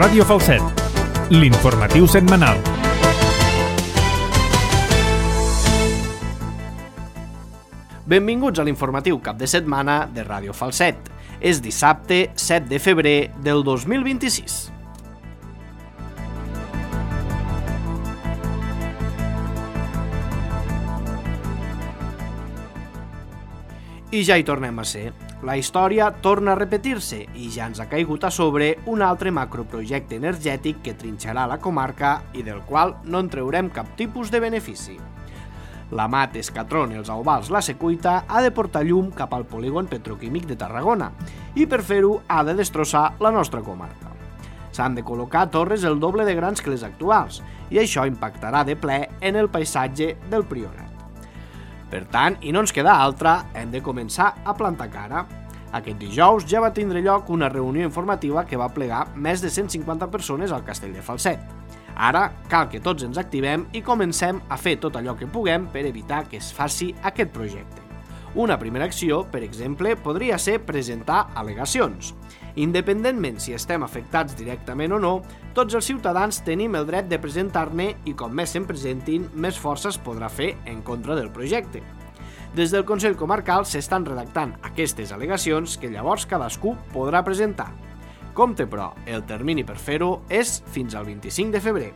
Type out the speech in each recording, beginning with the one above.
Ràdio Falset, l'informatiu setmanal. Benvinguts a l'informatiu cap de setmana de Ràdio Falset. És dissabte 7 de febrer del 2026. I ja hi tornem a ser. La història torna a repetir-se i ja ens ha caigut a sobre un altre macroprojecte energètic que trinxarà la comarca i del qual no en treurem cap tipus de benefici. L'Amat, Escatron, els Auvals, la Secuita ha de portar llum cap al polígon petroquímic de Tarragona i per fer-ho ha de destrossar la nostra comarca. S'han de col·locar torres el doble de grans que les actuals i això impactarà de ple en el paisatge del Priorat. Per tant, i no ens queda altra, hem de començar a plantar cara. Aquest dijous ja va tindre lloc una reunió informativa que va plegar més de 150 persones al Castell de Falset. Ara cal que tots ens activem i comencem a fer tot allò que puguem per evitar que es faci aquest projecte. Una primera acció, per exemple, podria ser presentar al·legacions. Independentment si estem afectats directament o no, tots els ciutadans tenim el dret de presentar-ne i com més se'n presentin, més força es podrà fer en contra del projecte. Des del Consell Comarcal s'estan redactant aquestes al·legacions que llavors cadascú podrà presentar. Compte, però, el termini per fer-ho és fins al 25 de febrer.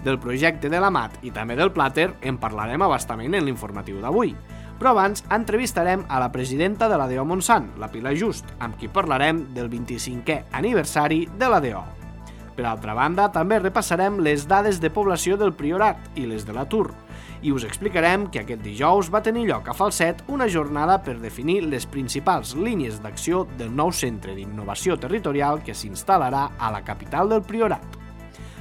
Del projecte de l'Amat i també del Plàter en parlarem a bastament en l'informatiu d'avui. Però abans entrevistarem a la presidenta de l'ADO Montsant, la Pilar Just, amb qui parlarem del 25è aniversari de l'ADO. Per altra banda, també repassarem les dades de població del Priorat i les de l'atur, i us explicarem que aquest dijous va tenir lloc a Falset una jornada per definir les principals línies d'acció del nou centre d'innovació territorial que s'instal·larà a la capital del Priorat.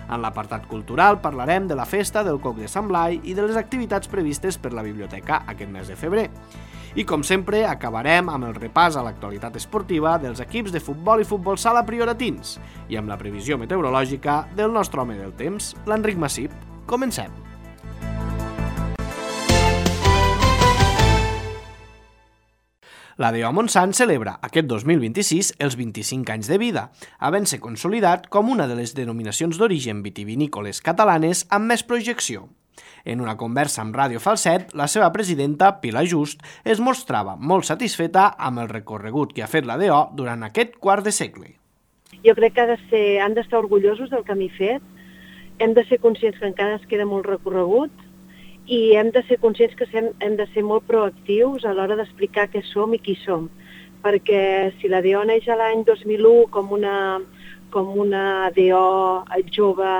En l'apartat cultural parlarem de la festa del Coc de Sant Blai i de les activitats previstes per la biblioteca aquest mes de febrer. I com sempre acabarem amb el repàs a l'actualitat esportiva dels equips de futbol i futbol sala prioratins i amb la previsió meteorològica del nostre home del temps, l'Enric Massip. Comencem! L'ADO Montsant celebra aquest 2026 els 25 anys de vida, havent-se consolidat com una de les denominacions d'origen vitivinícoles catalanes amb més projecció. En una conversa amb Ràdio Falset, la seva presidenta, Pilar Just, es mostrava molt satisfeta amb el recorregut que ha fet l'ADO durant aquest quart de segle. Jo crec que han d'estar orgullosos del camí fet, hem de ser conscients que encara ens queda molt recorregut, i hem de ser conscients que hem de ser molt proactius a l'hora d'explicar què som i qui som. Perquè si l'ADO neix l'any 2001 com una ADO jove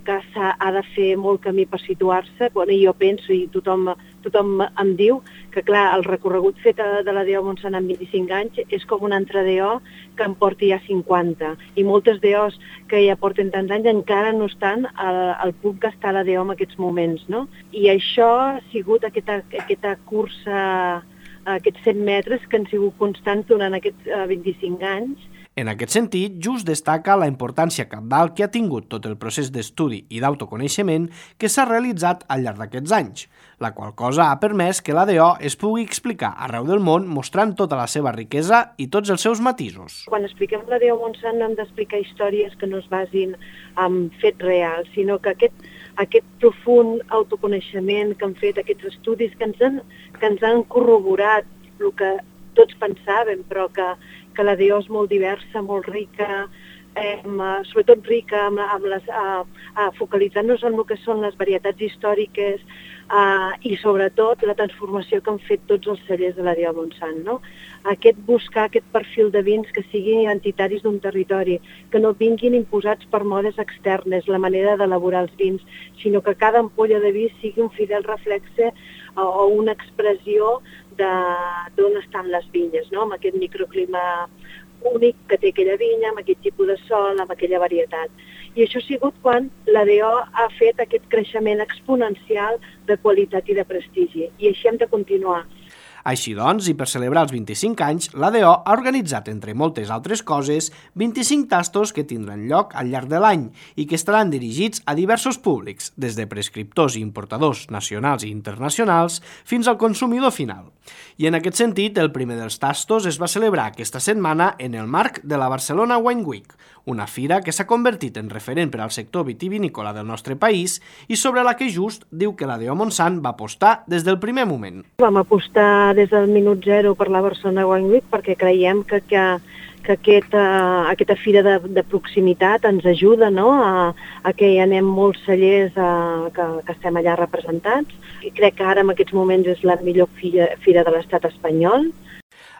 que ha de fer molt camí per situar-se, jo penso i tothom em diu que clar, el recorregut fet de l'ADO Montsant en 25 anys és com una altra ADO que en porti ja 50. I moltes DOs que ja porten tants anys encara no estan al punt que està l'ADO en aquests moments, no? I això ha sigut aquesta cursa, aquests 100 metres que han sigut constants durant aquests 25 anys. En aquest sentit, Just destaca la importància cabdal que ha tingut tot el procés d'estudi i d'autoconeixement que s'ha realitzat al llarg d'aquests anys, la qual cosa ha permès que l'ADO es pugui explicar arreu del món mostrant tota la seva riquesa i tots els seus matisos. Quan expliquem l'ADO Montsant no hem d'explicar històries que no es basin en fets reals, sinó que aquest profund autoconeixement que han fet, aquests estudis que ens han corroborat el que tots pensàvem, però que l'ADO és molt diversa, molt rica, sobretot rica, focalitzant-nos en el que són les varietats històriques i sobretot la transformació que han fet tots els cellers de l'ADO Montsant, no? Buscar aquest perfil de vins que siguin identitaris d'un territori, que no vinguin imposats per modes externes, la manera d'elaborar els vins, sinó que cada ampolla de vi sigui un fidel reflexe o una expressió d'on estan les vinyes, no? Amb aquest microclima únic que té aquella vinya, amb aquest tipus de sol, amb aquella varietat. I això ha sigut quan l'ADO ha fet aquest creixement exponencial de qualitat i de prestigi. I així hem de continuar. Així doncs, i per celebrar els 25 anys, l'ADO ha organitzat, entre moltes altres coses, 25 tastos que tindran lloc al llarg de l'any i que estaran dirigits a diversos públics, des de prescriptors i importadors nacionals i internacionals fins al consumidor final. I en aquest sentit, el primer dels tastos es va celebrar aquesta setmana en el marc de la Barcelona Wine Week, una fira que s'ha convertit en referent per al sector vitivinícola del nostre país i sobre la que Just diu que l'ADO Montsant va apostar des del primer moment. Vam apostar des del minut zero per la Barcelona Wine Week perquè creiem que aquesta fira de proximitat ens ajuda, no?, a que hi anem molts cellers que estem allà representats. I crec que ara en aquests moments és la millor fira de l'estat espanyol.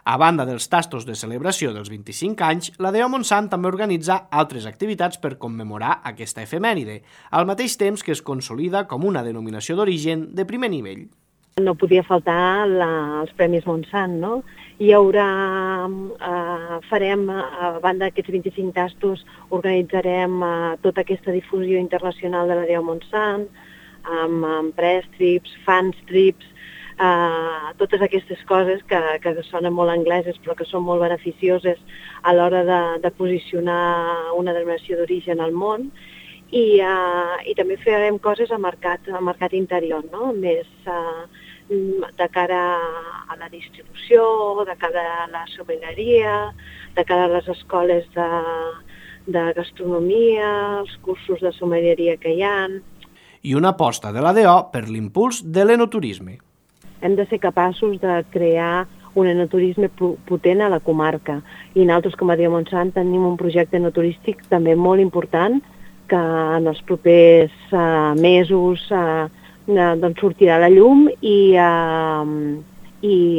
A banda dels tastos de celebració dels 25 anys, l'ADO Montsant també organitza altres activitats per commemorar aquesta efemèride, al mateix temps que es consolida com una denominació d'origen de primer nivell. No podia faltar els Premis Montsant, no? Hi haurà, a banda d'aquests 25 tastos, organitzarem tota aquesta difusió internacional de l'ADO Montsant, amb press trips, fans trips, totes aquestes coses que sonen molt angleses però que són molt beneficioses a l'hora de posicionar una denominació d'origen al món. I també farem coses a mercat interior, no?, més de cara a la distribució, de cara a la sommelleria, de cara a les escoles de gastronomia, els cursos de sommelleria que hi ha. I una aposta de l'ADO per l'impuls de l'enoturisme. Hem de ser capaços de crear un enoturisme potent a la comarca. I nosaltres, com a ADO Montsant, tenim un projecte enoturístic també molt important que en els propers mesos doncs sortirà a la llum i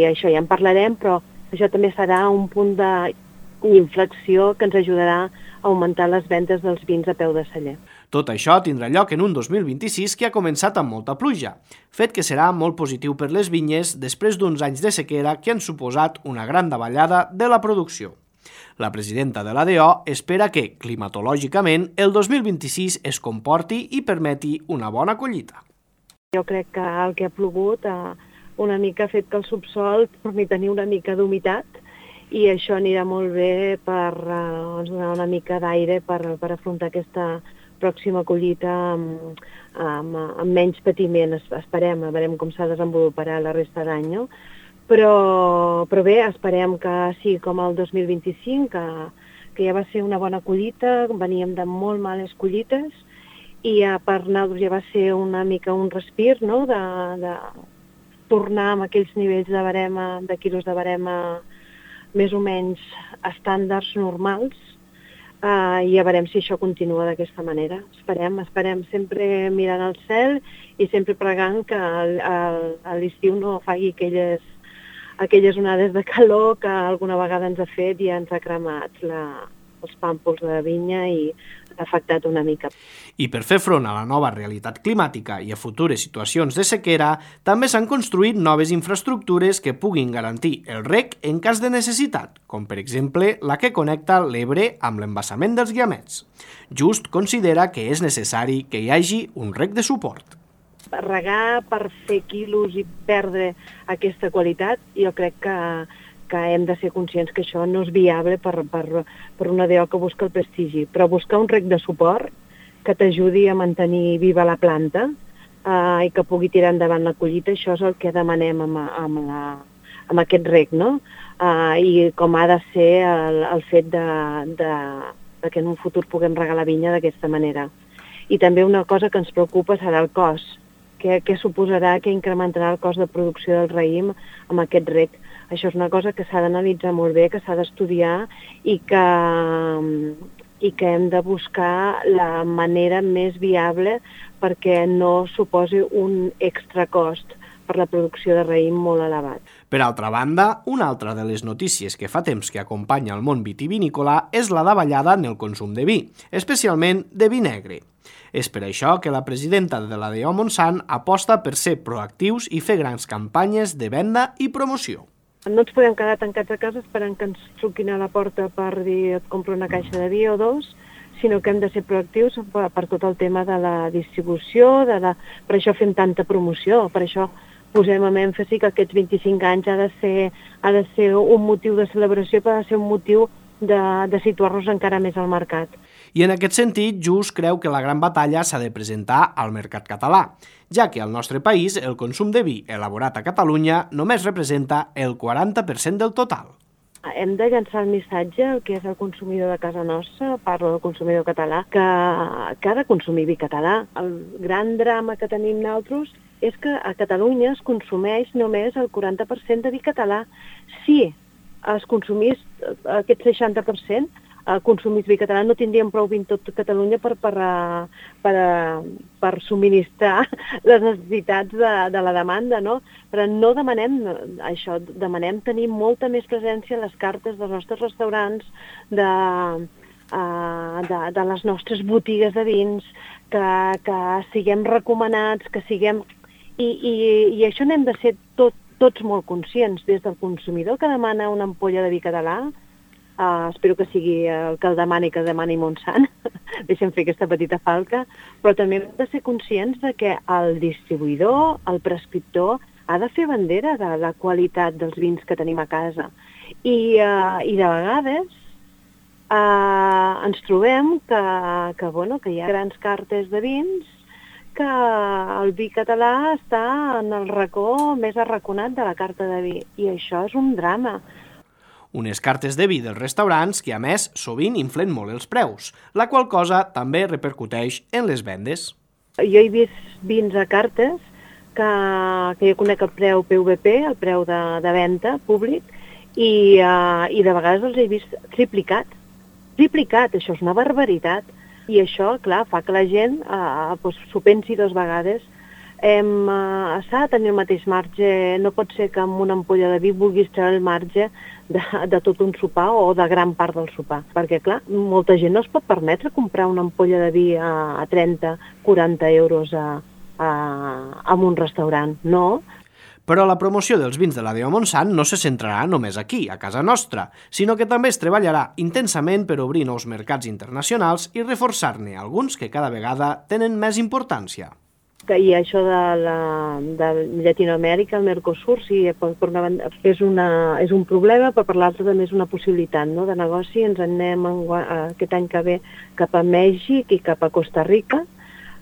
això ja en parlarem, però això també serà un punt d'inflexió que ens ajudarà a augmentar les vendes dels vins a peu de celler. Tot això tindrà lloc en un 2026 que ha començat amb molta pluja, fet que serà molt positiu per les vinyes després d'uns anys de sequera que han suposat una gran davallada de la producció. La presidenta de l'ADO espera que, climatològicament, el 2026 es comporti i permeti una bona collita. Jo crec que el que ha plogut una mica ha fet que el subsol torni a tenir una mica d'humitat i això anirà molt bé per donar una mica d'aire per afrontar aquesta pròxima collita amb menys patiment, esperem, a veure com s'ha desenvoluparà la resta d'any, no? Però bé, esperem que sigui com el 2025, que ja va ser una bona collita, veníem de molt males collites, i per nosaltres ja va ser una mica un respir, no?, de tornar amb aquells nivells de quilos de barema més o menys estàndards normals, i ja veurem si això continua d'aquesta manera. Esperem sempre mirant al cel i sempre pregant que a l'estiu no faci aquelles onades de calor que alguna vegada ens ha fet i ens ha cremat els pàmpols de vinya i ha afectat una mica. I per fer front a la nova realitat climàtica i a futures situacions de sequera, també s'han construït noves infraestructures que puguin garantir el reg en cas de necessitat, com per exemple la que connecta l'Ebre amb l'embassament dels Guiamets. Just considera que és necessari que hi hagi un reg de suport. Regar per fer quilos i perdre aquesta qualitat, jo crec que hem de ser conscients que això no és viable per una ADO que busca el prestigi, però buscar un reg de suport que t'ajudi a mantenir viva la planta i que pugui tirar endavant la collita, això és el que demanem amb aquest reg, no? I com ha de ser el fet de que en un futur puguem regar la vinya d'aquesta manera. I també una cosa que ens preocupa serà el cost. Què suposarà, què incrementarà el cost de producció del raïm amb aquest reg? Això és una cosa que s'ha d'analitzar molt bé, que s'ha d'estudiar i que hem de buscar la manera més viable perquè no suposi un extra cost per la producció de raïm molt elevat. Per altra banda, una altra de les notícies que fa temps que acompanya el món vitivinícola és la davallada en el consum de vi, especialment de vi negre. És per això que la presidenta de l'ADO Montsant aposta per ser proactius i fer grans campanyes de venda i promoció. No ens podem quedar tancats a casa esperant que ens truquin a la porta per dir et compro una caixa de vi o dos, sinó que hem de ser proactius per tot el tema de la distribució, per això fem tanta promoció, per això posem en èmfasi que aquests 25 anys ha de ser un motiu de celebració, però ha de ser un motiu de situar-nos encara més al mercat. I en aquest sentit, Just creu que la gran batalla s'ha de presentar al mercat català, ja que al nostre país el consum de vi elaborat a Catalunya només representa el 40% del total. Hem de llançar el missatge al que és el consumidor de casa nostra, parlo del consumidor català, que ha de consumir vi català. El gran drama que tenim nosaltres és que a Catalunya es consumeix només el 40% de vi català. Si es consumís aquest 60%, consumís vi català, no tindríem prou vi en tot Catalunya per subministrar les necessitats de la demanda, no? Però no demanem això, demanem tenir molta més presència a les cartes dels nostres restaurants, de les nostres botigues de vins, que siguem recomanats, que siguem... I això n'hem de ser tots molt conscients, des del consumidor que demana una ampolla de vi català, espero que sigui el que el demani Montsant, deixem fer aquesta petita falca, però també hem de ser conscients de que el distribuïdor, el prescriptor, ha de fer bandera de la qualitat dels vins que tenim a casa. I de vegades ens trobem que hi ha grans cartes de vins, que el vi català està en el racó més arraconat de la carta de vi, i això és un drama. Unes cartes de vi dels restaurants que, a més, sovint inflen molt els preus, la qual cosa també repercuteix en les vendes. Jo he vist vins a cartes que jo conec el preu PVP, el preu de venda públic, i de vegades els he vist triplicat. Triplicat, això és una barbaritat. I això, clar, fa que la gent s'ho pensi dues vegades. S'ha de tenir el mateix marge, no pot ser que amb una ampolla de vi vulguis treure el marge de tot un sopar o de gran part del sopar. Perquè, clar, molta gent no es pot permetre comprar una ampolla de vi a 30-40 euros en un restaurant, no? Però la promoció dels vins de la D.O. Montsant no se centrarà només aquí, a casa nostra, sinó que també es treballarà intensament per obrir nous mercats internacionals i reforçar-ne alguns que cada vegada tenen més importància. I això de Llatinoamèrica, el Mercosur, sí, per una banda és un problema, però per l'altra també és una possibilitat, no?, de negoci. Ens anem aquest any que ve cap a Mèxic i cap a Costa Rica.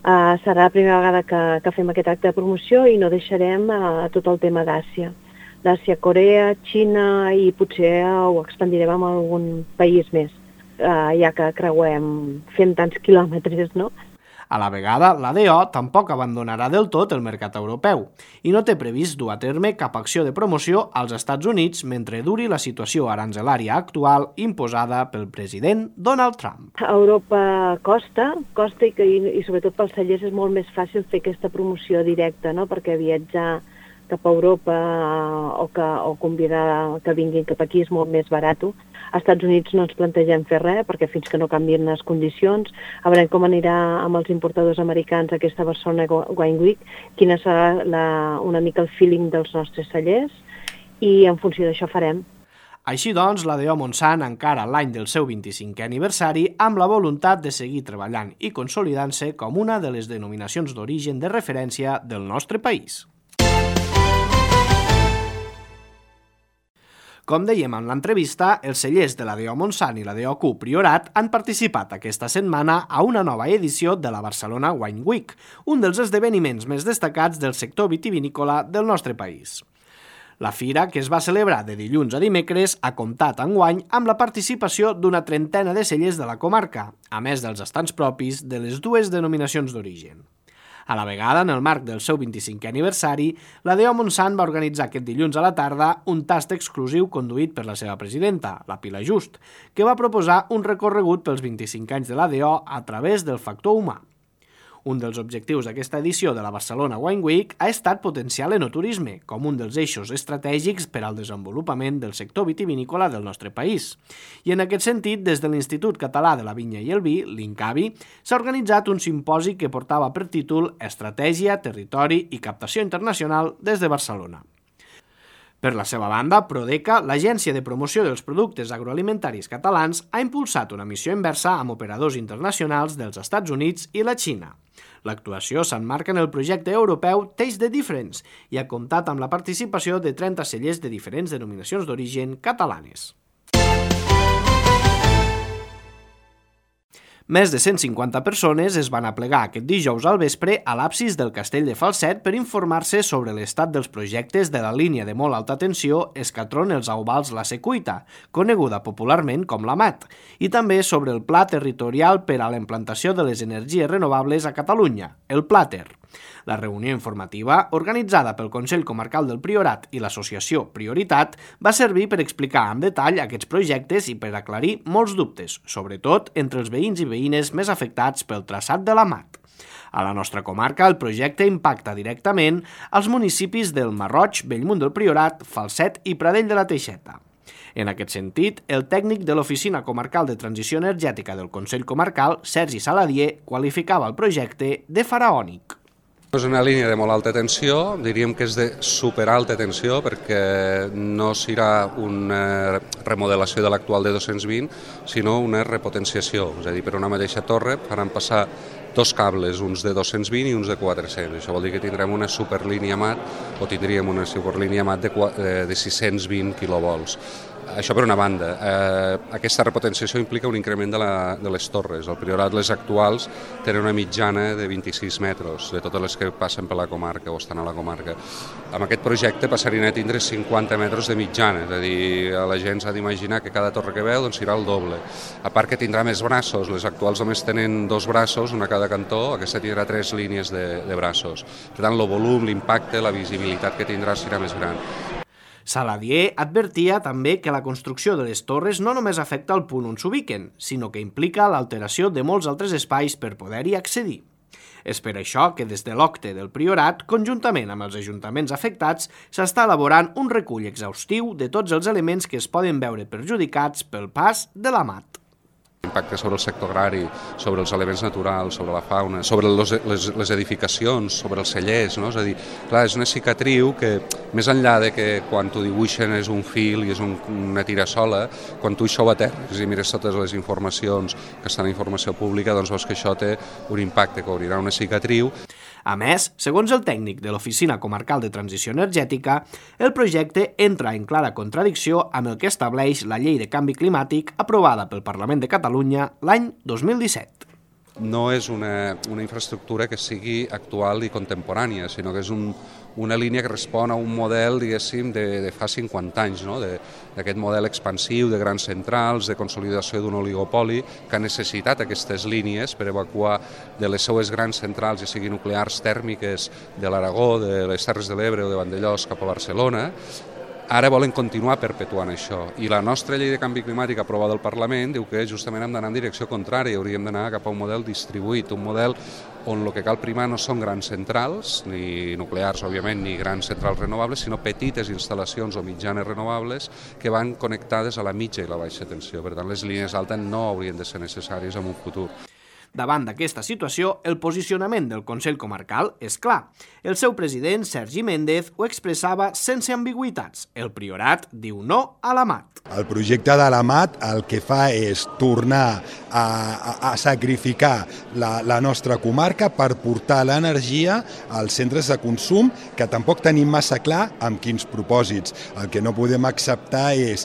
Serà la primera vegada que fem aquest acte de promoció i no deixarem tot el tema d'Àsia. D'Àsia, Corea, Xina, i potser ho expandirem a algun país més, ja que fem tants quilòmetres, no? A la vegada, la DO tampoc abandonarà del tot el mercat europeu i no té previst dur a terme cap acció de promoció als Estats Units mentre duri la situació aranzelària actual imposada pel president Donald Trump. A Europa costa i sobretot pels cellers és molt més fàcil fer aquesta promoció directa, no?, perquè viatjar cap a Europa o convidar que vinguin cap aquí és molt més barat. Als Estats Units no ens plantegem fer res, perquè fins que no canvien les condicions, a veure com anirà amb els importadors americans aquesta Barcelona Wine Week, quina serà una mica el feeling dels nostres cellers, i en funció d'això farem. Així doncs, la D.O. Montsant encara l'any del seu 25è aniversari amb la voluntat de seguir treballant i consolidant-se com una de les denominacions d'origen de referència del nostre país. Com dèiem en l'entrevista, els cellers de la D.O. Montsant i la D.O.Q. Priorat han participat aquesta setmana a una nova edició de la Barcelona Wine Week, un dels esdeveniments més destacats del sector vitivinícola del nostre país. La fira, que es va celebrar de dilluns a dimecres, ha comptat enguany amb la participació d'una trentena de cellers de la comarca, a més dels estants propis de les dues denominacions d'origen. A la vegada, en el marc del seu 25è aniversari, la D.O. Montsant va organitzar aquest dilluns a la tarda un tast exclusiu conduït per la seva presidenta, la Pilar Just, que va proposar un recorregut pels 25 anys de la D.O. a través del factor humà. Un dels objectius d'aquesta edició de la Barcelona Wine Week ha estat potenciar l'enoturisme com un dels eixos estratègics per al desenvolupament del sector vitivinícola del nostre país. I en aquest sentit, des de l'Institut Català de la Vinya i el Vi, l'INCAVI, s'ha organitzat un simposi que portava per títol Estratègia, Territori i Captació Internacional des de Barcelona. Per la seva banda, Prodeca, l'Agència de Promoció dels Productes Agroalimentaris Catalans, ha impulsat una missió inversa amb operadors internacionals dels Estats Units i la Xina. L'actuació s'emmarca en el projecte europeu Taste the Difference i ha comptat amb la participació de 30 cellers de diferents denominacions d'origen catalanes. Més de 150 persones es van aplegar aquest dijous al vespre a l'absis del Castell de Falset per informar-se sobre l'estat dels projectes de la línia de molt alta tensió Escatron-Els Auvals-La Secuita, coneguda popularment com la MAT, i també sobre el Pla Territorial per a la Implantació de les Energies Renovables a Catalunya, el PLATER. La reunió informativa, organitzada pel Consell Comarcal del Priorat i l'associació Prioritat, va servir per explicar en detall aquests projectes i per aclarir molts dubtes, sobretot entre els veïns i veïnes més afectats pel traçat de la MAT. A la nostra comarca, el projecte impacta directament als municipis del Marroig, Bellmunt del Priorat, Falset i Pradell de la Teixeta. En aquest sentit, el tècnic de l'Oficina Comarcal de Transició Energètica del Consell Comarcal, Sergi Saladier, qualificava el projecte de faraònic. És una línia de molt alta tensió, diríem que és de superalta tensió perquè no serà una remodelació de l'actual de 220, sinó una repotenciació, és a dir, per una mateixa torre faran passar dos cables, uns de 220 i uns de 400. Això vol dir que tindrem una superlínia MAT o tindríem una superlínia MAT de 620 quilovolts. Això per una banda. Aquesta repotenciació implica un increment de les torres. Al Priorat les actuals tenen una mitjana de 26 metres, de totes les que passen per la comarca o estan a la comarca. Amb aquest projecte passarien a tindre 50 metres de mitjana, és a dir, la gent s'ha d'imaginar que cada torre que veu serà el doble. A part que tindrà més braços, les actuals només tenen 2 braços, una a cada cantó, aquesta tindrà 3 línies de braços. Per tant, el volum, l'impacte, la visibilitat que tindrà serà més gran. Saladier advertia també que la construcció de les torres no només afecta el punt on s'ubiquen, sinó que implica l'alteració de molts altres espais per poder-hi accedir. És per això que des de l'OCTE del Priorat, conjuntament amb els ajuntaments afectats, s'està elaborant un recull exhaustiu de tots els elements que es poden veure perjudicats pel pas de la MAT. Impacte sobre el sector agrari, sobre els elements naturals, sobre la fauna, sobre les edificacions, sobre els cellers, no? És a dir, clar, és una cicatriu que, més enllà de que quan t'ho dibuixen és un fil i és una tirasola, quan tu això ho aterres i mires totes les informacions que estan en informació pública, doncs veus que això té un impacte, que obrirà una cicatriu. A més, segons el tècnic de l'Oficina Comarcal de Transició Energètica, el projecte entra en clara contradicció amb el que estableix la Llei de Canvi Climàtic aprovada pel Parlament de Catalunya l'any 2017. No és una infraestructura que sigui actual i contemporània, sinó que és una línia que respon a un model, diguéssim, de fa 50 anys, no? D'aquest model expansiu de grans centrals, de consolidació d'un oligopoli, que ha necessitat aquestes línies per evacuar de les seues grans centrals, ja siguin nuclears tèrmiques de l'Aragó, de les Terres de l'Ebre o de Vandellòs cap a Barcelona. Ara volen continuar perpetuant això i la nostra llei de canvi climàtic aprovada al Parlament diu que justament hem d'anar en direcció contrària, hauríem d'anar cap a un model distribuït, un model on el que cal primar no són grans centrals, ni nuclears, òbviament, ni grans centrals renovables, sinó petites instal·lacions o mitjanes renovables que van connectades a la mitja i la baixa tensió. Per tant, les línies altes no haurien de ser necessàries en un futur. Davant d'aquesta situació, el posicionament del Consell Comarcal és clar. El seu president, Sergi Méndez, ho expressava sense ambigüitats. El Priorat diu no a la MAT. El projecte de la MAT el que fa és tornar a sacrificar la nostra comarca per portar l'energia als centres de consum, que tampoc tenim massa clar amb quins propòsits. El que no podem acceptar és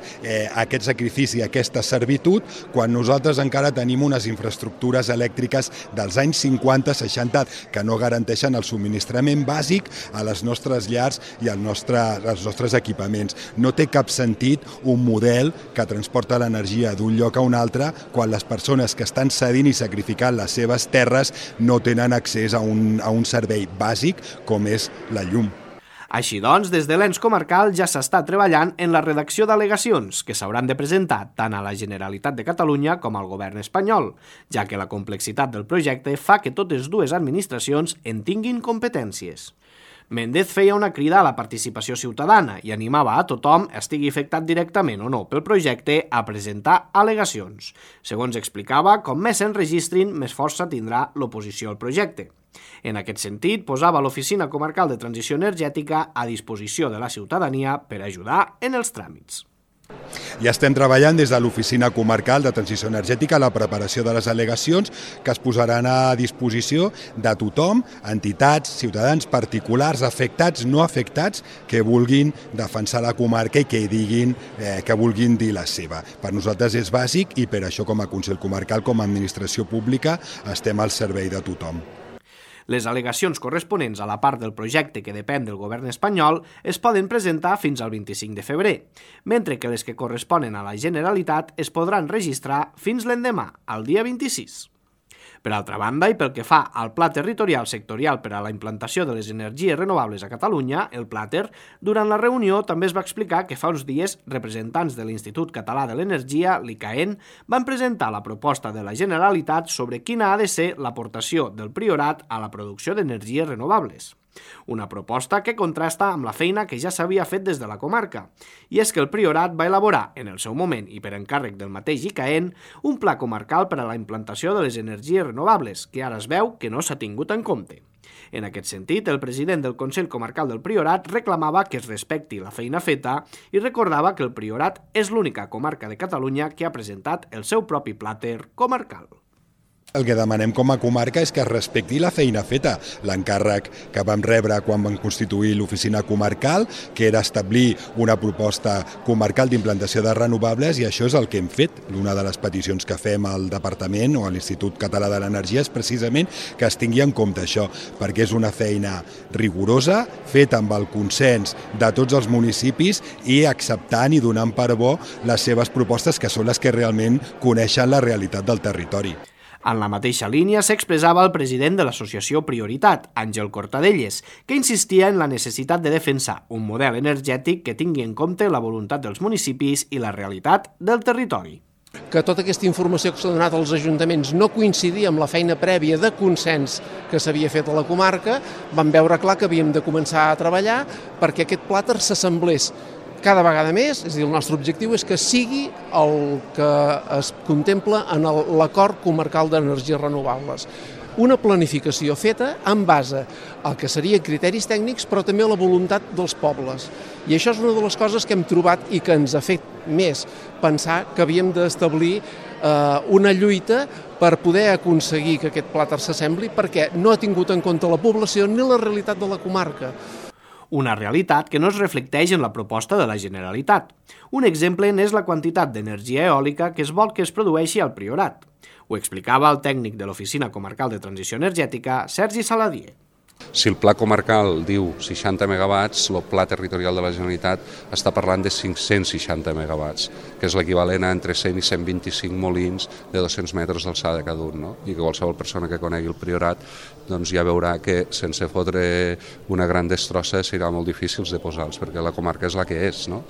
aquest sacrifici, aquesta servitud, quan nosaltres encara tenim unes infraestructures elèctriques dels anys 50-60 que no garanteixen el subministrament bàsic a les nostres llars i als nostres equipaments. No té cap sentit un model que transporta l'energia d'un lloc a un altre quan les persones que estan cedint i sacrificant les seves terres no tenen accés a un servei bàsic com és la llum. Així doncs, des de l'ens comarcal ja s'està treballant en la redacció d'al·legacions que s'hauran de presentar tant a la Generalitat de Catalunya com al govern espanyol, ja que la complexitat del projecte fa que totes dues administracions en tinguin competències. Méndez feia una crida a la participació ciutadana i animava a tothom, estigui afectat directament o no pel projecte, a presentar al·legacions. Segons explicava, com més s'enregistrin, més força tindrà l'oposició al projecte. En aquest sentit, posava l'Oficina Comarcal de Transició Energètica a disposició de la ciutadania per ajudar en els tràmits. Ja estem treballant des de l'Oficina Comarcal de Transició Energètica a la preparació de les al·legacions que es posaran a disposició de tothom, entitats, ciutadans, particulars, afectats, no afectats, que vulguin defensar la comarca i que diguin, que vulguin dir la seva. Per nosaltres és bàsic i per això com a Consell Comarcal, com a administració pública, estem al servei de tothom. Les al·legacions corresponents a la part del projecte que depèn del govern espanyol es poden presentar fins al 25 de febrer, mentre que les que corresponen a la Generalitat es podran registrar fins l'endemà, al dia 26. Per altra banda, i pel que fa al Pla Territorial Sectorial per a la implantació de les energies renovables a Catalunya, el PLATER, durant la reunió també es va explicar que fa uns dies representants de l'Institut Català de l'Energia, l'ICAEN, van presentar la proposta de la Generalitat sobre quina ha de ser l'aportació del Priorat a la producció d'energies renovables. Una proposta que contrasta amb la feina que ja s'havia fet des de la comarca. I és que el Priorat va elaborar, en el seu moment i per encàrrec del mateix ICAEN, un pla comarcal per a la implantació de les energies renovables, que ara es veu que no s'ha tingut en compte. En aquest sentit, el president del Consell Comarcal del Priorat reclamava que es respecti la feina feta i recordava que el Priorat és l'única comarca de Catalunya que ha presentat el seu propi plàter comarcal. El que demanem com a comarca és que es respecti la feina feta. L'encàrrec que vam rebre quan vam constituir l'oficina comarcal, que era establir una proposta comarcal d'implantació de renovables, i això és el que hem fet. Una de les peticions que fem al Departament o a l'Institut Català de l'Energia és precisament que es tingui en compte això, perquè és una feina rigorosa, feta amb el consens de tots els municipis i acceptant i donant per bo les seves propostes, que són les que realment coneixen la realitat del territori. En la mateixa línia s'expressava el president de l'associació Prioritat, Àngel Cortadelles, que insistia en la necessitat de defensar un model energètic que tingui en compte la voluntat dels municipis i la realitat del territori. Que tota aquesta informació que s'ha donat als ajuntaments no coincidia amb la feina prèvia de consens que s'havia fet a la comarca, vam veure clar que havíem de començar a treballar perquè aquest plàter s'assemblés cada vegada més, és a dir, el nostre objectiu és que sigui el que es contempla en l'acord comarcal d'energies renovables. Una planificació feta en base al que serien criteris tècnics, però també a la voluntat dels pobles. I això és una de les coses que hem trobat i que ens ha fet més pensar que havíem d'establir una lluita per poder aconseguir que aquest plàter s'assembli, perquè no ha tingut en compte la població ni la realitat de la comarca. Una realitat que no es reflecteix en la proposta de la Generalitat. Un exemple n'és la quantitat d'energia eòlica que es vol que es produeixi al Priorat. Ho explicava el tècnic de l'Oficina Comarcal de Transició Energètica, Sergi Saladier. Si el pla comarcal diu 60 megawatts, el pla territorial de la Generalitat està parlant de 560 megawatts, que és l'equivalent a entre 100 i 125 molins de 200 metres d'alçada cada un, no? I que qualsevol persona que conegui el Priorat doncs ja veurà que sense fotre una gran destrossa serà molt difícil de posar-los, perquè la comarca és la que és, no?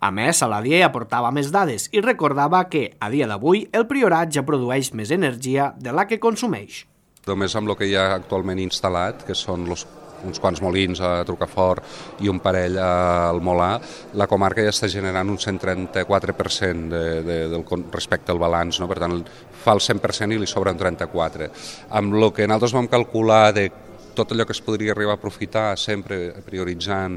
A més, Saladier aportava més dades i recordava que, a dia d'avui, el Priorat ja produeix més energia de la que consumeix. Només amb el que hi ha actualment instal·lat, que són uns quants molins a Trucafort i un parell al Molà, la comarca ja està generant un 134% respecte al balanç, no? Per tant, fa el 100% i li sobra un 34%. Amb el que nosaltres vam calcular de tot allò que es podria arribar a aprofitar, sempre prioritzant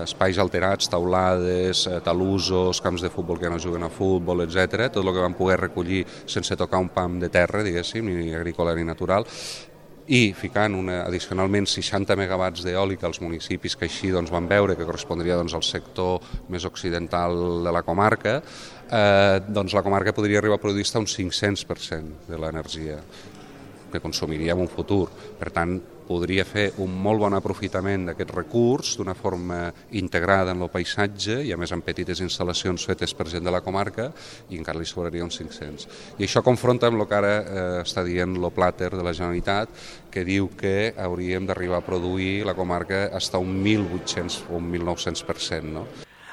espais alterats, taulades, talussos, camps de futbol que no juguen a futbol, etc. Tot el que vam poder recollir sense tocar un pam de terra, diguéssim, ni agrícola ni natural, i ficant addicionalment 60 megawatts d'eòlica als municipis que així vam veure que correspondria al sector més occidental de la comarca, la comarca podria arribar a produir fins a un 500% de l'energia que consumiria en un futur. Per tant, podria fer un molt bon aprofitament d'aquest recurs d'una forma integrada en el paisatge i a més amb petites instal·lacions fetes per gent de la comarca i encara li sobraria uns 500. I això confronta amb el que ara està dient el plàter de la Generalitat, que diu que hauríem d'arribar a produir la comarca fins a un 1.800 o un 1.900%, no?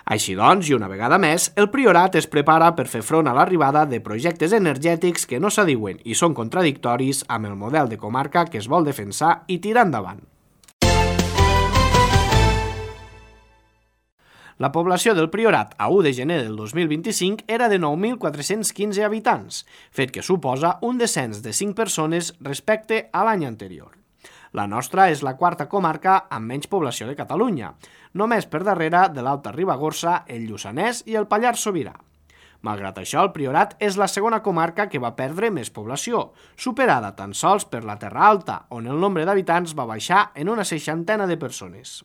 Així doncs, i una vegada més, el Priorat es prepara per fer front a l'arribada de projectes energètics que no s'adiuen i són contradictoris amb el model de comarca que es vol defensar i tirar endavant. La població del Priorat a 1 de gener del 2025 era de 9.415 habitants, fet que suposa un descens de 5 persones respecte a l'any anterior. La nostra és la quarta comarca amb menys població de Catalunya, només per darrere de l'Alta Ribagorça, el Lluçanès i el Pallars Sobirà. Malgrat això, el Priorat és la segona comarca que va perdre més població, superada tan sols per la Terra Alta, on el nombre d'habitants va baixar en una 60 de persones.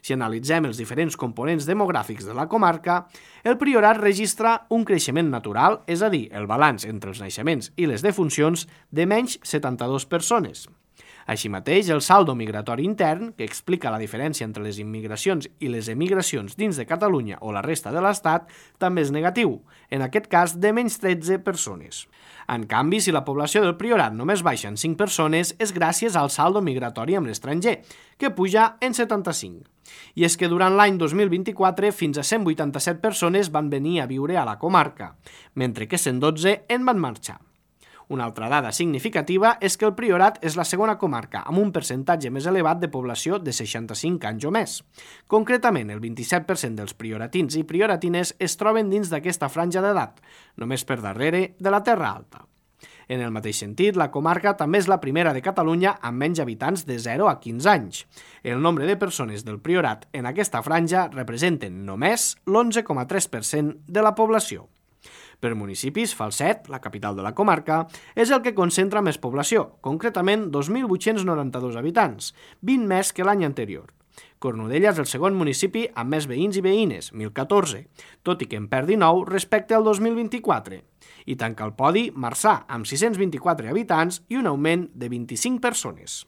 Si analitzem els diferents components demogràfics de la comarca, el Priorat registra un creixement natural, és a dir, el balanç entre els naixements i les defuncions, de menys 72 persones. Així mateix, el saldo migratori intern, que explica la diferència entre les immigracions i les emigracions dins de Catalunya o la resta de l'Estat, també és negatiu, en aquest cas de menys 13 persones. En canvi, si la població del Priorat només baixa en 5 persones, és gràcies al saldo migratori amb l'estranger, que puja en 75. I és que durant l'any 2024 fins a 187 persones van venir a viure a la comarca, mentre que 112 en van marxar. Una altra dada significativa és que el Priorat és la segona comarca amb un percentatge més elevat de població de 65 anys o més. Concretament, el 27% dels prioratins i prioratines es troben dins d'aquesta franja d'edat, només per darrere de la Terra Alta. En el mateix sentit, la comarca també és la primera de Catalunya amb menys habitants de 0 a 15 anys. El nombre de persones del Priorat en aquesta franja representen només l'11,3% de la població. Per municipis, Falset, la capital de la comarca, és el que concentra més població, concretament 2.892 habitants, 20 més que l'any anterior. Cornudella és el segon municipi amb més veïns i veïnes, 1.014, tot i que en perdi 9 respecte al 2024. I tanca el podi Marçà, amb 624 habitants i un augment de 25 persones.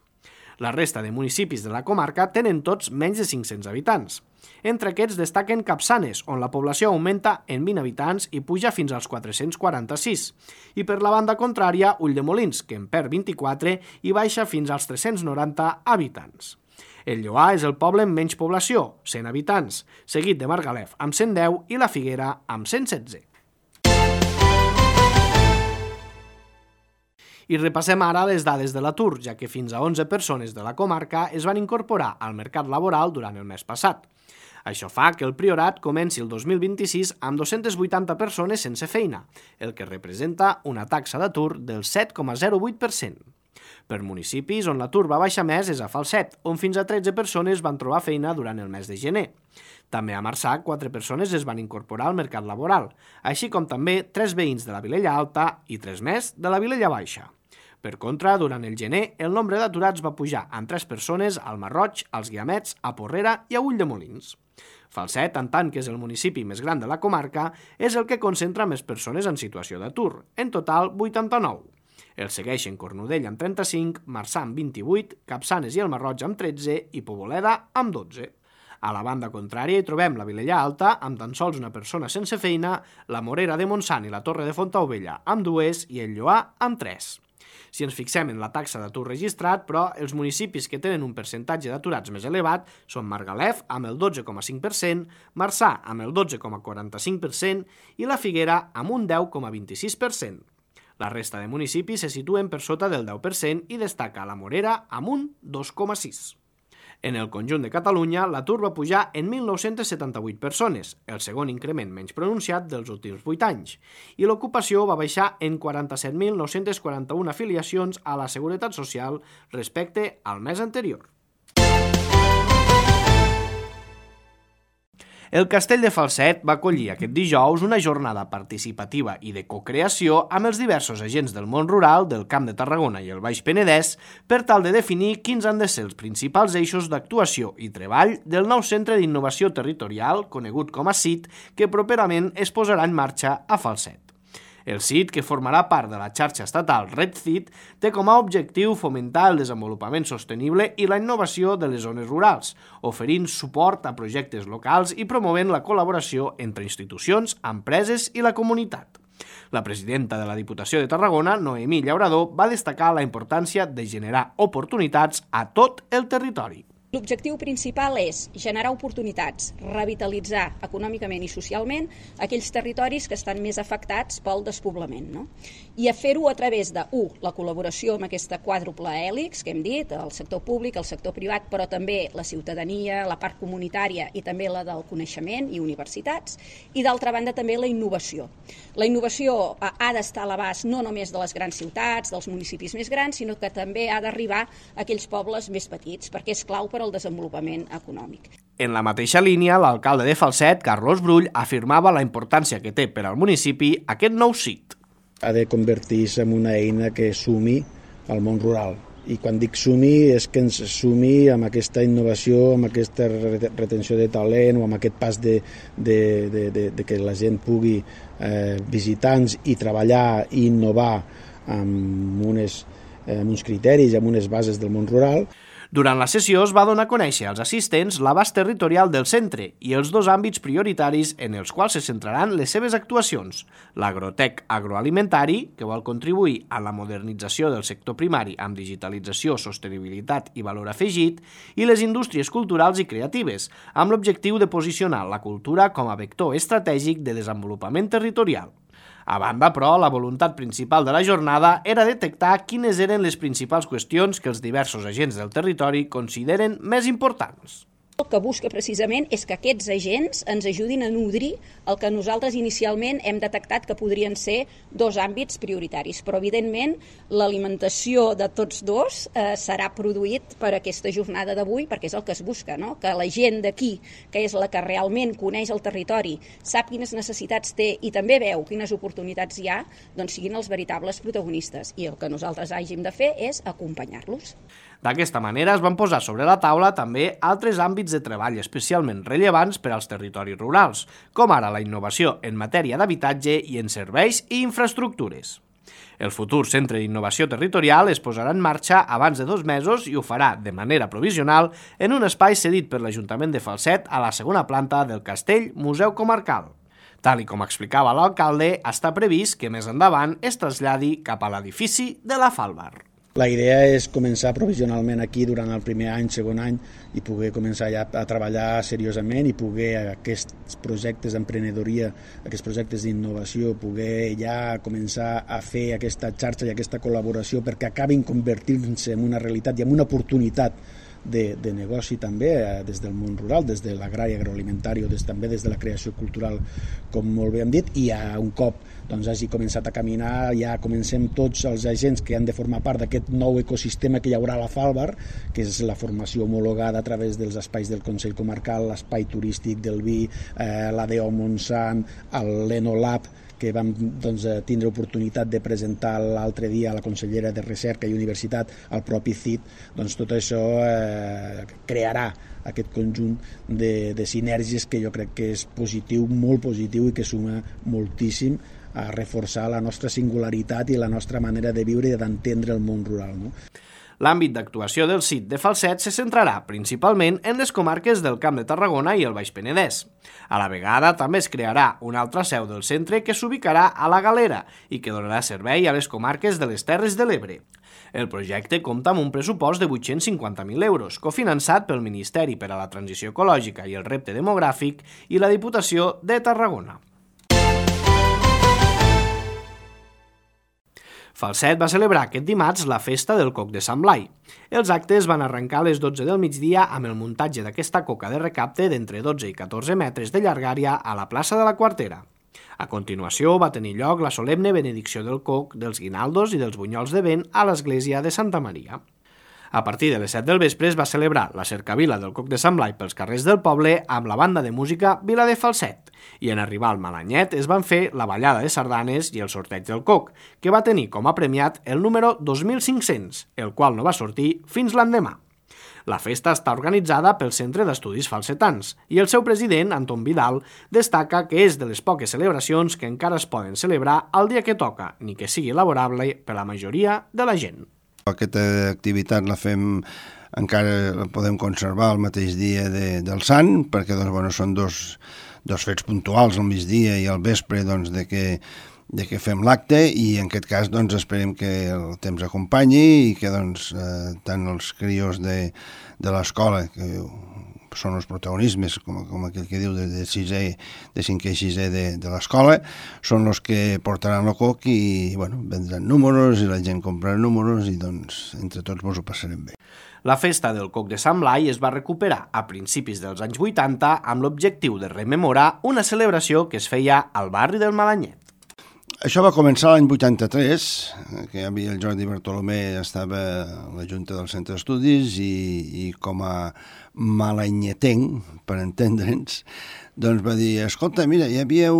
La resta de municipis de la comarca tenen tots menys de 500 habitants. Entre aquests destaquen Capçanes, on la població augmenta en 20 habitants i puja fins als 446. I per la banda contrària, Ulldemolins, que en perd 24 i baixa fins als 390 habitants. El Lloar és el poble amb menys població, 100 habitants, seguit de Margalef amb 110 i la Figuera amb 116. I repassem ara les dades de l'atur, ja que fins a 11 persones de la comarca es van incorporar al mercat laboral durant el mes passat. Això fa que el Priorat comenci el 2026 amb 280 persones sense feina, el que representa una taxa d'atur del 7,08%. Per municipis on l'atur va baixar més és a Falset, on fins a 13 persones van trobar feina durant el mes de gener. També a Marçà, 4 persones es van incorporar al mercat laboral, així com també 3 veïns de la Vilella Alta i 3 més de la Vilella Baixa. Per contra, durant el gener, el nombre d'aturats va pujar amb 3 persones al Marroig, als Guiamets, a Porrera i a Ulldemolins. Falset, en tant que és el municipi més gran de la comarca, és el que concentra més persones en situació d'atur, en total 89. El segueixen Cornudella amb 35, Marçà amb 28, Capçanes i el Marroig amb 13 i Poboleda amb 12. A la banda contrària hi trobem la Vilella Alta, amb tan sols una persona sense feina, la Morera de Montsant i la Torre de Fontaubella amb 2 i el Lloar amb 3. Si ens fixem en la taxa d'atur registrat, però els municipis que tenen un percentatge d'aturats més elevat són Margalef amb el 12,5%, Marçà amb el 12,45% i la Figuera amb un 10,26%. La resta de municipis se situen per sota del 10% i destaca la Morera amb un 2,6%. En el conjunt de Catalunya, l'atur va pujar en 1.978 persones, el segon increment menys pronunciat dels últims 8 anys, i l'ocupació va baixar en 47.941 afiliacions a la Seguretat Social respecte al mes anterior. El Castell de Falset va acollir aquest dijous una jornada participativa i de cocreació amb els diversos agents del món rural, del Camp de Tarragona i el Baix Penedès per tal de definir quins han de ser els principals eixos d'actuació i treball del nou Centre d'Innovació Territorial, conegut com a CIT, que properament es posarà en marxa a Falset. El CIT, que formarà part de la xarxa estatal RedCIT, té com a objectiu fomentar el desenvolupament sostenible i la innovació de les zones rurals, oferint suport a projectes locals i promovent la col·laboració entre institucions, empreses i la comunitat. La presidenta de la Diputació de Tarragona, Noemí Llaurador, va destacar la importància de generar oportunitats a tot el territori. L'objectiu principal és generar oportunitats, revitalitzar econòmicament i socialment aquells territoris que estan més afectats pel despoblament, no? I a fer-ho a través de, la col·laboració amb aquesta quàdruple hèlix que hem dit, el sector públic, el sector privat, però també la ciutadania, la part comunitària i també la del coneixement i universitats, i d'altra banda també la innovació. La innovació ha d'estar a l'abast no només de les grans ciutats, dels municipis més grans, sinó que també ha d'arribar a aquells pobles més petits, perquè és clau per al desenvolupament econòmic. En la mateixa línia, l'alcalde de Falset, Carlos Brull, afirmava la importància que té per al municipi aquest nou sit. Ha de convertir-se en una eina que sumi al món rural. I quan dic sumi és que ens sumi amb aquesta innovació, amb aquesta retenció de talent o amb aquest pas de que la gent pugui visitar-nos i treballar i innovar amb uns criteris i amb unes bases del món rural. Durant la sessió es va donar a conèixer als assistents l'abast territorial del centre i els dos àmbits prioritaris en els quals se centraran les seves actuacions. L'agrotec agroalimentari, que vol contribuir a la modernització del sector primari amb digitalització, sostenibilitat i valor afegit, i les indústries culturals i creatives, amb l'objectiu de posicionar la cultura com a vector estratègic de desenvolupament territorial. A banda, però, la voluntat principal de la jornada era detectar quines eren les principals qüestions que els diversos agents del territori consideren més importants. El que busca precisament és que aquests agents ens ajudin a nodrir el que nosaltres inicialment hem detectat que podrien ser dos àmbits prioritaris, però evidentment l'alimentació de tots dos serà produït per aquesta jornada d'avui, perquè és el que es busca, no? Que la gent d'aquí, que és la que realment coneix el territori, sap quines necessitats té i també veu quines oportunitats hi ha, doncs siguin els veritables protagonistes, i el que nosaltres hàgim de fer és acompanyar-los. D'aquesta manera es van posar sobre la taula també altres àmbits de treball especialment rellevants per als territoris rurals, com ara la innovació en matèria d'habitatge i en serveis i infraestructures. El futur Centre d'Innovació Territorial es posarà en marxa abans de 2 mesos i ho farà de manera provisional en un espai cedit per l'Ajuntament de Falset a la segona planta del Castell Museu Comarcal. Tal com explicava l'alcalde, està previst que més endavant es traslladi cap a l'edifici de la Falbar. La idea és començar provisionalment aquí durant el primer any, segon any, i poder començar ja a treballar seriosament i poder aquests projectes d'emprenedoria, aquests projectes d'innovació, poder ja començar a fer aquesta xarxa i aquesta col·laboració perquè acabin convertint-se en una realitat i en una oportunitat de negoci també des del món rural, des de l'agrari agroalimentari o també des de la creació cultural, com molt bé hem dit, i ja un cop hagi començat a caminar, ja comencem tots els agents que han de formar part d'aquest nou ecosistema que hi haurà a la Falbar, que és la formació homologada a través dels espais del Consell Comarcal, l'espai turístic del vi, l'ADO Montsant, l'Enolab, que vam tindre oportunitat de presentar l'altre dia a la consellera de Recerca i Universitat, al propi CIT, tot això crearà aquest conjunt de sinergies que jo crec que és positiu, molt positiu i que suma moltíssim a reforçar la nostra singularitat i la nostra manera de viure i d'entendre el món rural, no? L'àmbit d'actuació del CIT de Falset se centrarà principalment en les comarques del Camp de Tarragona i el Baix Penedès. A la vegada també es crearà una altra seu del centre que s'ubicarà a la Galera i que donarà servei a les comarques de les Terres de l'Ebre. El projecte compta amb un pressupost de 850.000 euros, cofinançat pel Ministeri per a la Transició Ecològica i el Repte Demogràfic i la Diputació de Tarragona. Falset va celebrar aquest dimarts la festa del Coc de Sant Blai. Els actes van arrencar a les 12 del migdia amb el muntatge d'aquesta coca de recapte d'entre 12 i 14 metres de llargària a la plaça de la Quartera. A continuació va tenir lloc la solemne benedicció del coc, dels guinaldos i dels bunyols de vent a l'església de Santa Maria. A partir de les 7 del vespre es va celebrar la cercavila del Coc de Sant Blai pels carrers del poble amb la banda de música Vila de Falset i en arribar al Malanyet es van fer la ballada de sardanes i el sorteig del coc, que va tenir com a premiat el número 2500, el qual no va sortir fins l'endemà. La festa està organitzada pel Centre d'Estudis Falsetans i el seu president, Anton Vidal, destaca que és de les poques celebracions que encara es poden celebrar el dia que toca, ni que sigui laborable per la majoria de la gent. Aquesta activitat la fem, encara la podem conservar el mateix dia del Sant, perquè són dos fets puntuals al migdia i al vespre de que que fem l'acte, i en aquest cas doncs, esperem que el temps acompanyi i que doncs, tant els crios de l'escola, que són els protagonismes, com aquell que diu, de 5è i 6è de l'escola, són els que portaran el coc i vendran números i la gent comprarà números i doncs entre tots ens ho passarem bé. La festa del coc de Sant Blai es va recuperar a principis dels anys 80 amb l'objectiu de rememorar una celebració que es feia al barri del Malanyet. Això va començar l'any 83, que hi havia el Jordi Bartolomé, estava a la Junta del Centre d'Estudis i com a malanyetenc, per entendre'ns, doncs va dir, escolta, mira, hi havia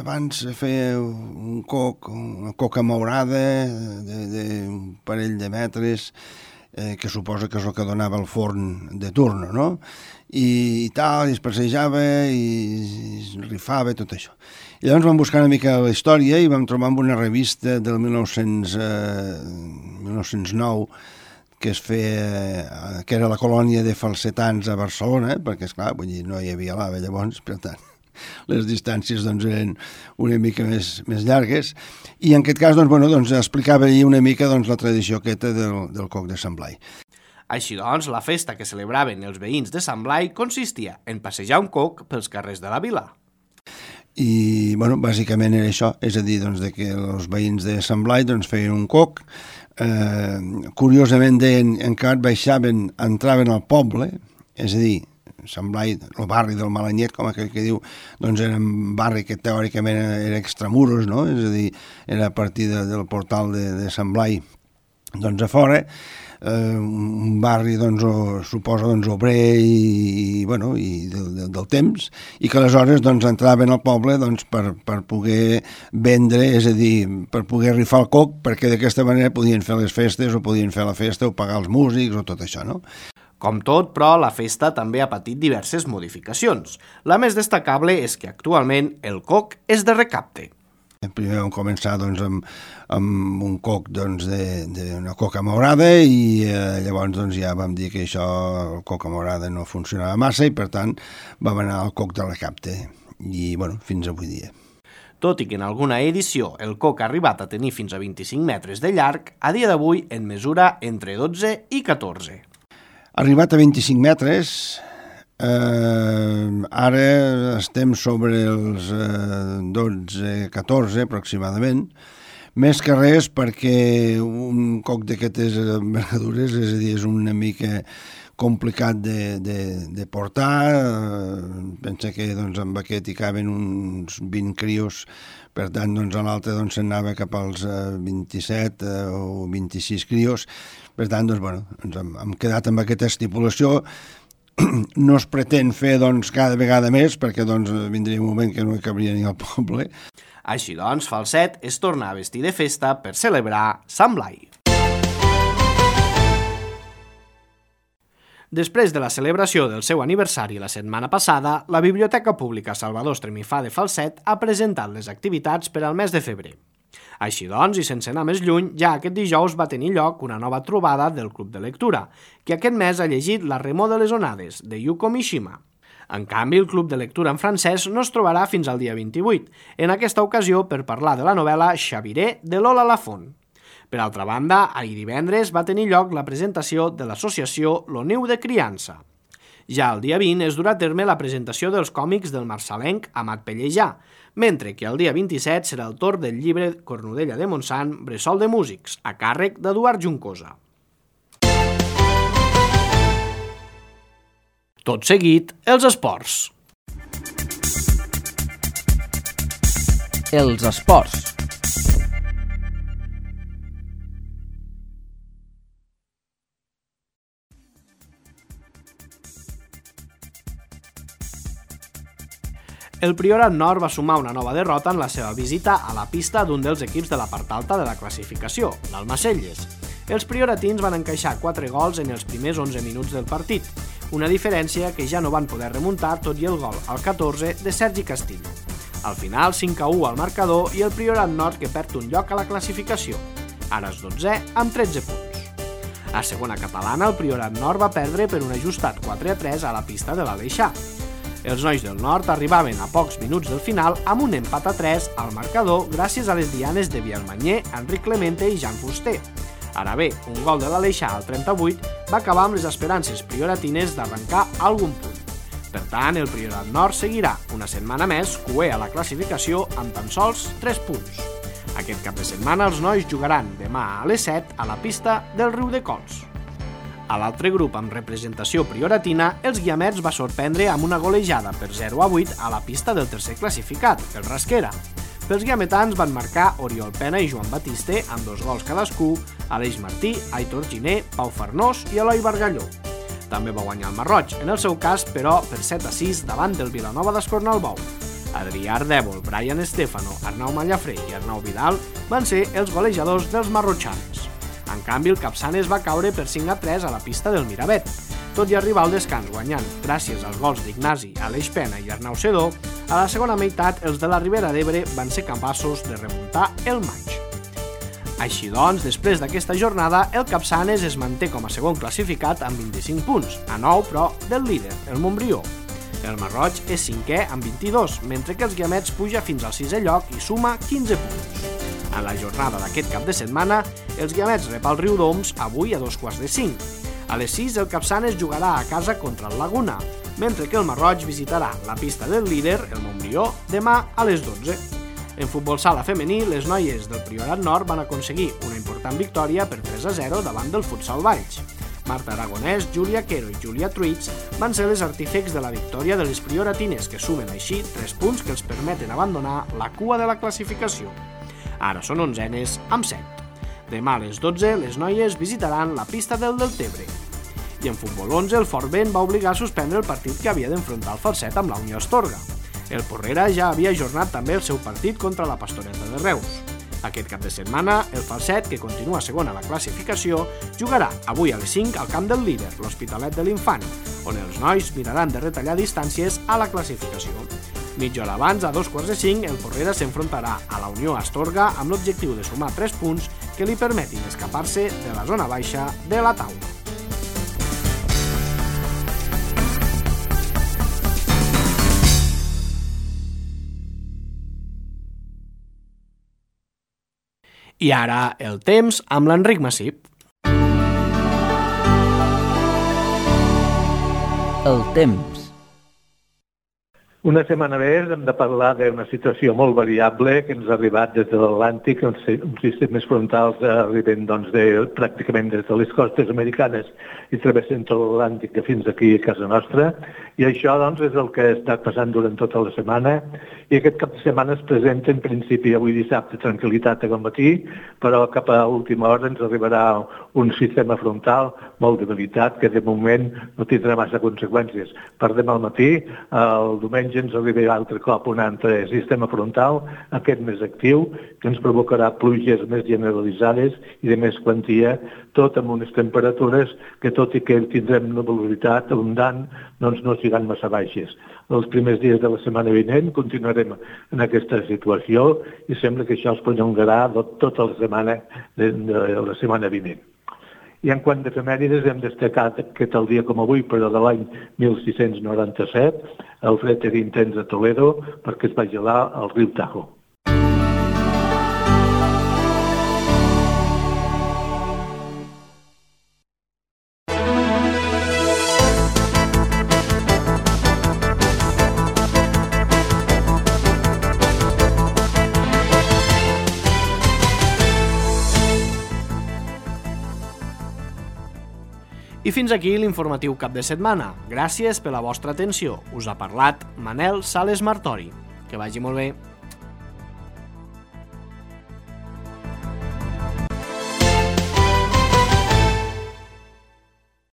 abans feia una coca maurada d'un parell de metres, que suposa que és el que donava el forn de turno, no? I tal, i es passejava i es rifava, tot això. I llavors vam buscar una mica la història i vam trobar una revista del 1909 que es feia, que era la colònia de falsetans a Barcelona, perquè, esclar, vull dir, no hi havia lava llavors, per tant, les distàncies doncs, eren una mica més llargues, i en aquest cas doncs, explicava una mica doncs, la tradició aquesta del coc de Sant Blai. Així doncs, la festa que celebraven els veïns de Sant Blai consistia en passejar un coc pels carrers de la vila. I, bàsicament era això, és a dir, doncs, que els veïns de Sant Blai doncs, feien un coc, curiosament deien, encara baixaven, entraven al poble, és a dir, Sant Blai, el barri del Malanyet, com aquell que diu, doncs era un barri que teòricament era extramuros, no? És a dir, era a partir del portal de Sant Blai, doncs a fora, un barri doncs, suposa doncs, obrer i del temps, i que aleshores doncs, entraven al poble doncs, per poder vendre, és a dir, per poder rifar el coc, perquè d'aquesta manera podien fer les festes o podien fer la festa o pagar els músics o tot això, no? Com tot, però, la festa també ha patit diverses modificacions. La més destacable és que actualment el coc és de recapte. Primer vam començar doncs, amb un coc d'una coca maurada i llavors doncs, ja vam dir que això, el coca maurada no funcionava massa i per tant vam anar al coc de recapte i fins avui dia. Tot i que en alguna edició el coc ha arribat a tenir fins a 25 metres de llarg, a dia d'avui en mesura entre 12 i 14. Arribat a 25 metres, ara estem sobre els 12-14 aproximadament, més que res perquè un coc d'aquestes envergadures, és a dir, és una mica complicat de portar, pensa que doncs, amb aquest hi caben uns 20 crios, per tant doncs, a l'altre doncs, s'anava cap als 27 o 26 crios, per tant doncs, hem quedat amb aquesta estipulació. No es pretén fer doncs, cada vegada més perquè doncs, vindria un moment que no hi cabria ni al poble. Així doncs, Falset es torna a vestir de festa per celebrar Sant Blai. Després de la celebració del seu aniversari la setmana passada, la Biblioteca Pública Salvador Estremifà de Falset ha presentat les activitats per al mes de febrer. Així doncs, i sense anar més lluny, ja aquest dijous va tenir lloc una nova trobada del Club de Lectura, que aquest mes ha llegit La remor de les onades, de Yuko Mishima. En canvi, el Club de Lectura en francès no es trobarà fins al dia 28, en aquesta ocasió per parlar de la novel·la Xaviré de Lola Lafont. Per altra banda, ahir divendres va tenir lloc la presentació de l'associació Lo Niu de Criança. Ja el dia 20 es durà a terme la presentació dels còmics del marçalenc Amat Pellejà, mentre que el dia 27 serà el torn del llibre Cornudella de Montsant, Bressol de Músics, a càrrec d'Eduard Juncosa. Tot seguit, els esports. Els esports. El Priorat Nord va sumar una nova derrota en la seva visita a la pista d'un dels equips de la part alta de la classificació, l'Almacelles. Els prioratins van encaixar 4 gols en els primers 11 minuts del partit, una diferència que ja no van poder remuntar tot i el gol al 14 de Sergi Castillo. Al final, 5-1 al marcador i el Priorat Nord que perd un lloc a la classificació. Ara és 12 amb 13 punts. A segona catalana, el Priorat Nord va perdre per un ajustat 4-3 a la pista de l'Aleixar. Els nois del Nord arribaven a pocs minuts del final amb un empat a 3 al marcador gràcies a les dianes de Bielmanyer, Enric Clemente i Jan Fuster. Ara bé, un gol de l'Aleixar al 38 va acabar amb les esperances prioratines d'arrencar algun punt. Per tant, el Priorat Nord seguirà una setmana més cuer a la classificació amb tan sols 3 punts. Aquest cap de setmana els nois jugaran demà a les 7 a la pista del Riu de Cols. A l'altre grup amb representació prioratina, els Guiamets va sorprendre amb una golejada per 0-8 a la pista del tercer classificat, el Rasquera. Pels guiametans van marcar Oriol Pena i Joan Batiste amb 2 gols cadascú, Aleix Martí, Aitor Giner, Pau Farnós i Eloi Bargalló. També va guanyar el Marroig, en el seu cas, però, per 7-6 davant del Vilanova d'Escornalbou. Adrià Ardèvol, Brian Estefano, Arnau Mallafré i Arnau Vidal van ser els golejadors dels marrotxans. En canvi, el Capçanes va caure per 5-3 a la pista del Miravet. Tot i arribar al descans guanyant, gràcies als gols d'Ignasi, Aleix Pena i Arnau Sedó, a la segona meitat els de la Ribera d'Ebre van ser capaços de remuntar el maig. Així doncs, després d'aquesta jornada, el Capçanes es manté com a segon classificat amb 25 punts, a 9, però, del líder, el Montbrió. El Marroig és 5è amb 22, mentre que els Guiamets puja fins al 6è lloc i suma 15 punts. En la jornada d'aquest cap de setmana, els Guiamets rep el Riudoms avui a 2:45. A les 6 el Capçanes jugarà a casa contra el Laguna, mentre que el Marroig visitarà la pista del líder, el Montbrió, demà a les 12. En futbol sala femení, les noies del Priorat Nord van aconseguir una important victòria per 3-0 davant del Futsal Valls. Marta Aragonès, Júlia Quero i Júlia Truits van ser les artífecs de la victòria de les prioratines, que sumen així 3 punts que els permeten abandonar la cua de la classificació. Ara són 11enes amb 7. Demà a les 12 les noies visitaran la pista del Deltebre. I en futbol 11 el Fort Vent va obligar a suspendre el partit que havia d'enfrontar el Falset amb la Unió Astorga. El Porrera ja havia ajornat també el seu partit contra la Pastoreta de Reus. Aquest cap de setmana, el Falset, que continua segon a la classificació, jugarà avui a les 5 al camp del líder, l'Hospitalet de l'Infant, on els nois miraran de retallar distàncies a la classificació. Mitja hora abans, a 2:45, el Porrera s'enfrontarà a la Unió Astorga amb l'objectiu de sumar 3 punts que li permetin escapar-se de la zona baixa de la taula. I ara el temps amb l'Enric Massip. El temps. Una setmana més hem de parlar d'una situació molt variable que ens ha arribat des de l'Atlàntic, uns sistemes frontals arriben pràcticament des de les costes americanes i travessen tot l'Atlàntic fins aquí a casa nostra, i això és el que ha estat passant durant tota la setmana, i aquest cap de setmana es presenta en principi avui dissabte tranquil·litat al matí, però cap a última hora ens arribarà un sistema frontal molt debilitat que de moment no tindrà massa conseqüències. Per demà al matí, el diumenge ens arribarà altre cop un altre sistema frontal, aquest més actiu, que ens provocarà pluges més generalitzades i de més quantia, tot amb unes temperatures que, tot i que tindrem nuvolositat abundant, no seran massa baixes. Els primers dies de la setmana vinent continuarem en aquesta situació i sembla que això es prolongarà tota la setmana vinent. I en quant d'efemèrides hem destacat que tal dia com avui, però de l'any 1697, el fred era intens a Toledo perquè es va gelar el riu Tajo. I fins aquí l'informatiu cap de setmana. Gràcies per la vostra atenció. Us ha parlat Manel Sales Martori. Que vagi molt bé.